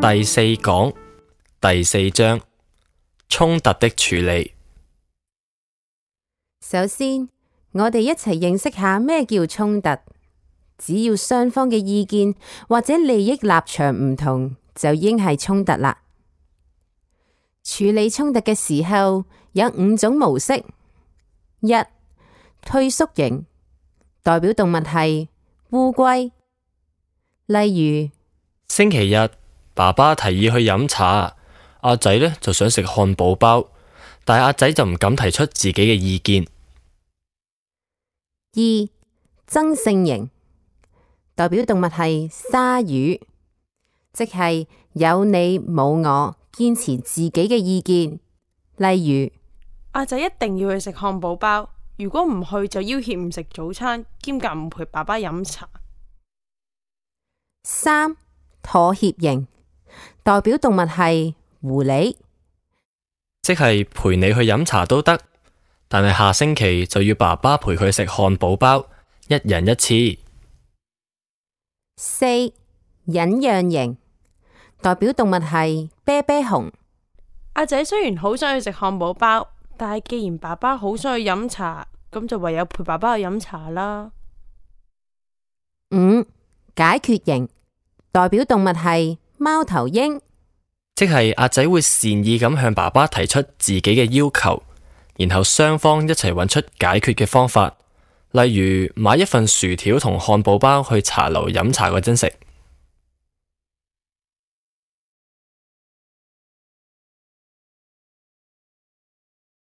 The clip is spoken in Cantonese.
第四講第四章衝突的處理。首先，我哋一齊認識下咩叫衝突。只要雙方嘅意見或者利益立場唔同，就已經係衝突啦。處理衝突嘅時候有5種模式。一、退縮型，代表動物係烏龜。例如，星期日爸爸提議去飲茶，阿仔呢就想食漢堡包，但係阿仔就唔敢提出自己嘅意見。二、爭勝型，代表動物係鯊魚，即係有你冇我，堅持自己嘅意見。例如，阿仔一定要去食漢堡包，如果唔去就要挾唔食早餐，兼夾唔陪爸爸飲茶。三、妥協型，代表動物係狐狸，即係陪你去飲茶都得，但係下星期就要爸爸陪佢食漢堡包，一人一次。四、忍讓型，代表動物係啤啤熊，阿仔雖然好想去食漢堡包，但係既然爸爸好想去飲茶，咁就唯有陪爸爸去飲茶啦。五、解決型，代表動物係貓頭鷹，即係阿仔會善意咁向爸爸提出自己嘅要求，然後雙方一齊揾出解決嘅方法，例如買一份薯條同漢堡包去茶樓飲茶嗰陣食。